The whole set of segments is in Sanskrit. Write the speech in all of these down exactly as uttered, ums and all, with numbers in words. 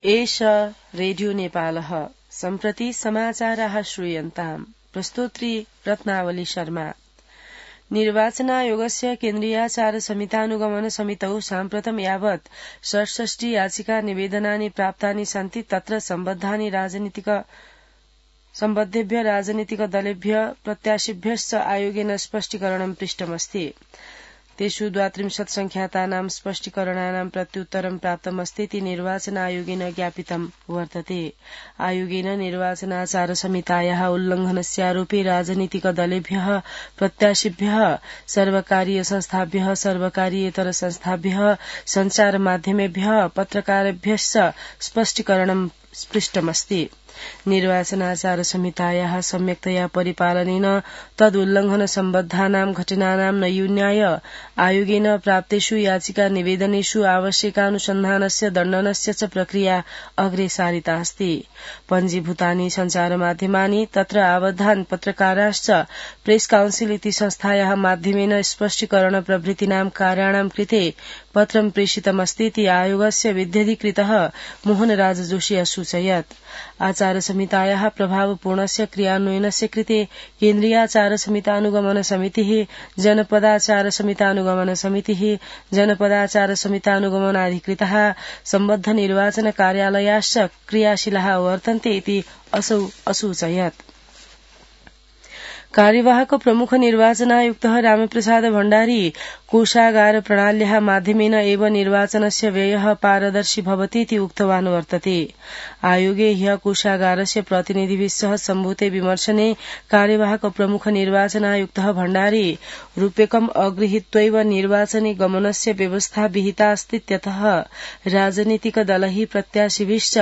एष रेडियो नेपालः सम्प्रति समाचाराः श्रूयन्ताम्। प्रस्तोत्री रत्नावली शर्मा। निर्वाचनायोगस्य केन्द्रीयाचार समितानुगमन समितौ साम्प्रतं यावत् षट्षष्टि याचिका निवेदनानि प्राप्तानि सन्ति। तत्र सम्बद्धानि राजनीतिक सम्बद्धेभ्य राजनीतिक दलेभ्य प्रत्याशिभ्यश्च आयोगेन स्पष्टीकरणं पृष्टमस्ति। तेषु द्वात्रिंशत् संख्यातानां स्पष्टीकरणानां प्रत्युत्तरं प्राप्तमस्ति इति निर्वाचन आयोगेन ज्ञापितं वर्तते। आयोगेन निर्वाचनाचार संहितायाः उल्लंघनस्यारोपे राजनीतिक दलेभ्यः प्रत्याशिभ्यः सर्वकारीय संस्थाभ्यः सर्वकारीयेतर संस्थाभ्यः सञ्चार माध्यमेभ्यः पत्रकारेभ्यश्च स्पष्टीकरणं पृष्टमस्ति। निर्वाचनाचार संहितायाः सम्यक्तया परिपालनेन तदुल्लंघन सम्बद्धानां घटनानां नैयून्याय आयोगेन प्राप्तेषु याचिका निवेदनेषु आवश्यकानुसन्धानस्य दण्डनस्य च प्रक्रिया अग्रे सारिता अस्ति। पञ्जीभूतानि सञ्चारमाध्यमानि तत्र आबद्धान् पत्रकाराश्च प्रेस काउन्सिल इति संस्थायाः माध्यमेन स्पष्टीकरण प्रभृतीनां कार्याणां कृते पत्रं प्रेषितमस्ति इति आयोगस्य विध्यधिकृतः मोहनराज जोशी असूचयत्। आचार संहितायाः प्रभावपूर्णस्य क्रियान्वयनस्य कृते केन्द्रीयाचार समितानुगमन समितिः जनपदाचार समितानुगमन समितिः जनपदाचार समितानुगमनाधिकृतः सम्बद्ध निर्वाचन कार्यालयाश्च क्रियाशीलाः वर्तन्ते इति असौ असूचयत्। कार्यवाहक प्रमुख निर्वाचनायुक्तः रामप्रसाद भण्डारी कोषागार प्रणाल्याः माध्यमेन एव निर्वाचनस्य व्ययः पारदर्शी भवति इति उक्तवान् वर्तते। आयोगे ह्यः कोषागारस्य प्रतिनिधिभिः सह सम्भूते विमर्शने कार्यवाहक प्रमुख निर्वाचनायुक्तः भण्डारी रूप्यकम् अगृहीत्वैव निर्वाचने गमनस्य व्यवस्था विहिता अस्तीत्यतः राजनीतिक दलैः प्रत्याशिभिश्च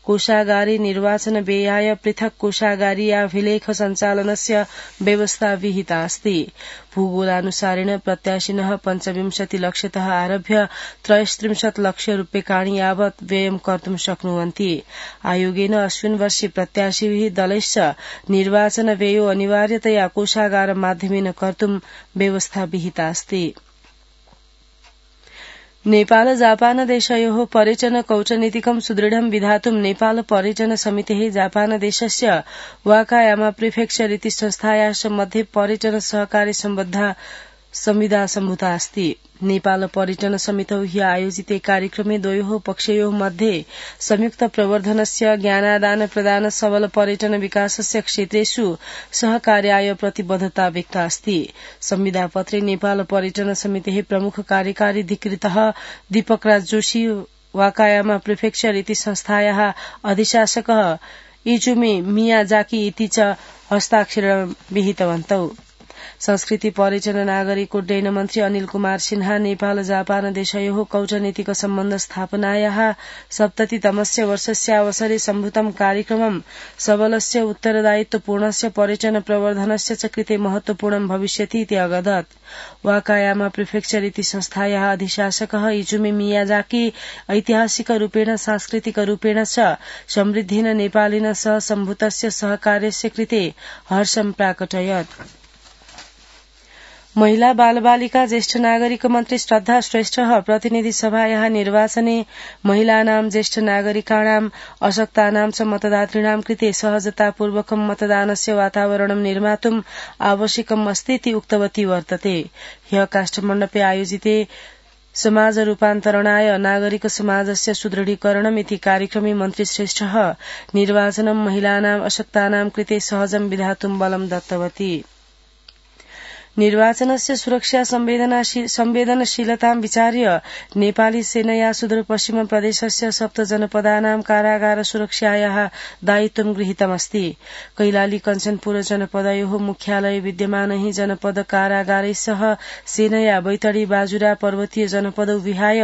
कोषागारे निर्वाचन व्ययाय पृथक् कोषागारीयाभिलेख सञ्चालनस्य व्यवस्था विहिता अस्ति। भूगोलानुसारेण प्रत्याशिनः पञ्चविंशति लक्षतः आरभ्य त्रयस्त्रिंशत् लक्ष रूप्यकाणि यावत् व्ययं कर्तुं शक्नुवन्ति। आयोगेन अस्मिन् वर्षे प्रत्याशिभिः दलैश्च निर्वाचन व्ययो अनिवार्यतया कोषागार माध्यमेन कर्तुं व्यवस्था विहिता अस्ति। नेपाल जापान देशयोः पर्यटन कौटनीतिकं सुदृढं विधातुं नेपाल पर्यटन समितिः जापान देशस्य वाकायामा प्रिफेक्चर इति संस्थायाः मध्ये पर्यटन सहकार्य सम्बद्धा संविदा सम्भूता अस्ति। नेपाल पर्यटन समितौ ह्यः आयोजिते कार्यक्रमे द्वयोः पक्षयोः मध्ये संयुक्त प्रवर्धनस्य ज्ञानादान प्रदान सबल पर्यटन विकासस्य क्षेत्रेषु सहकार्याय प्रतिबद्धता व्यक्ता अस्ति। संविदापत्रे नेपाल पर्यटन समितेः प्रमुख कार्यकारी अधिकृतः दीपकराज जोशी वाकायामा प्रिफेक्चर इति संस्थायाः अधिशासकः इजुमी मियाजाकी इति च हस्ताक्षरं विहितवन्तौ। संस्कृति पर्यटन नागरिक उड्डयन मन्त्री अनिल कुमार सिन्हा नेपाल जापान देशयोः कौटनीतिक सम्बन्ध स्थापनायाः सप्ततितमस्य वर्षस्य अवसरे सम्भूतं कार्यक्रमं सबलस्य उत्तरदायित्वपूर्णस्य पर्यटन प्रवर्धनस्य च कृते महत्वपूर्णं भविष्यति इति अगदत्। वाकायामा प्रिफेक्चर इति संस्थायाः अधिशासकः इजुमी मियाजाकी ऐतिहासिकरूपेण सांस्कृतिकरूपेण च समृद्धेन नेपालेन सह सम्भूतस्य सहकार्यस्य कृते हर्षं प्राकटयत्। महिला बालबालिका ज्येष्ठ नागरिक मन्त्री श्रद्धा श्रेष्ठः प्रतिनिधि सभायाः निर्वाचने महिलानां ज्येष्ठ नागरिकाणाम् अशक्तानां च मतदातॄणां कृते सहजतापूर्वकं मतदानस्य वातावरणं निर्मातुम् आवश्यकम् अस्ति इति उक्तवती वर्तते। ह्यः काष्ठमण्डपे आयोजिते समाज रूपान्तरणाय नागरिक समाजस्य सुदृढीकरणम् इति कार्यक्रमे मन्त्री श्रेष्ठः निर्वाचनं महिलानाम् अशक्तानां कृते सहजं विधातुं बलं दत्तवती। निर्वाचनस्य सुरक्षा संवेदनशीलतां विचार्य नेपाली सेनया सुदूरपश्चिम प्रदेशस्य सप्त जनपदानां कारागार सुरक्षायाः दायित्वं गृहीतमस्ति। कैलाली कञ्चनपुर जनपदयोः मुख्यालये विद्यमानैः जनपद कारागारैः सह सेनया बैतडी बाजुरा पर्वतीय जनपदौ विहाय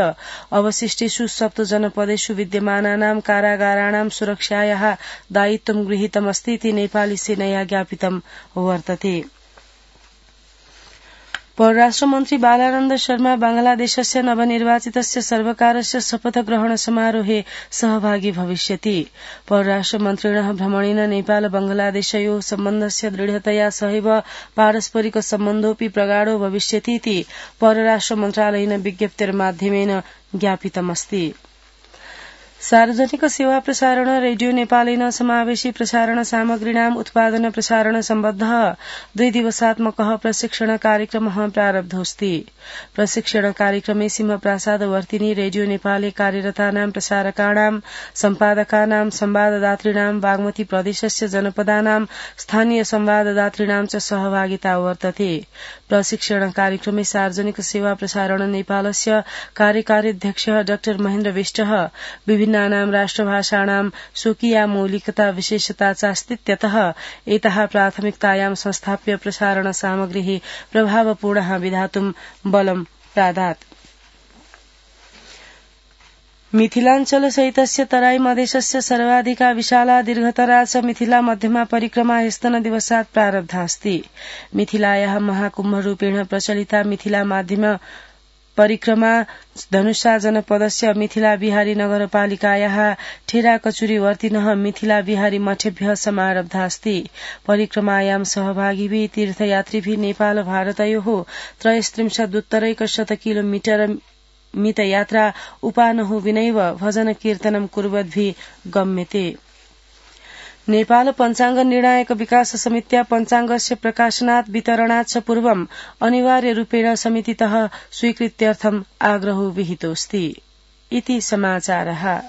अवशिष्टेषु सप्त जनपदेषु विद्यमानानां कारागाराणां सुरक्षायाः दायित्वं गृहीतमस्ति इति नेपाली सेनया ज्ञापितं वर्तते। परराष्ट्र मन्त्री बालानन्द शर्मा बांग्लादेशस्य नवनिर्वाचितस्य सर्वकारस्य शपथग्रहण समारोहे सहभागी भविष्यति। परराष्ट्र मन्त्रिणः भ्रमणेन नेपाल बांग्लादेशयोः सम्बन्धस्य दृढतया सहैव पारस्परिक सम्बन्धोऽपि प्रगाढो भविष्यति इति परराष्ट्र मन्त्रालयेन विज्ञप्तिर्माध्यमेन ज्ञापितमस्ति। सार्वजनिक सेवा प्रसारण रेडियो नेपालेन समावेशी प्रसारण सामग्रीणाम उत्पादन प्रसारण सम्बद्ध द्वि दिवसात्मक प्रशिक्षण कार्यक्रम प्रारब्धोऽस्ति। प्रशिक्षण कार्यक्रमे सिंहप्रासादवर्तिनी रेडियो नेपाले कार्यरतानां प्रसारकाणां सम्पादकानां संवाददातृणां बागमती प्रदेशस्य जनपदानां स्थानीय संवाददातृणां च सहभागिता वर्तते। प्रशिक्षण कार्यक्रमे सार्वजनिक सेवा प्रसारण नेपालस्य कार्यकार्यध्यक्ष डाक्टर महेन्द्र विष्टः विभिन्नानां राष्ट्रभाषाणां स्वकीया मौलिकता विशेषता चास्तित्यतः एतः प्राथमिकतायां संस्थाप्य प्रसारण सामग्रीः प्रभावपूर्णः विधातुं बलं प्रादात्। मिथिलाञ्चल सहितस्य तराई मधेशस्य सर्वाधिका विशाला दीर्घतरा च मिथिला मध्यमा परिक्रमा ह्यस्तन दिवसात् प्रारब्धास्ति। मिथिलायाः महाकुम्भरूपेण प्रचलिता मिथिला माध्यम परिक्रमा धनुषा जनपदस्य मिथिला बिहारी नगरपालिकायाः ठेरा कचुरी वर्तिनः मिथिला बिहारी मठेभ्यः समारब्धास्ति। परिक्रमायां सहभागिभिः तीर्थयात्रिभिः नेपाल भारतयोः त्रयस्त्रिंशदुत्तरैकशत किलोमीटर मितयात्रा उपानहु विनैव भजन कीर्तनं कुर्वद्भिः गम्यते। नेपाल पञ्चाङ्ग निर्णायक विकास समित्या पञ्चाङ्गस्य प्रकाशनात् वितरणात् च पूर्वम् अनिवार्यरूपेण समितितः स्वीकृत्यर्थम् आग्रहो विहितोऽस्ति। इति समाचारः।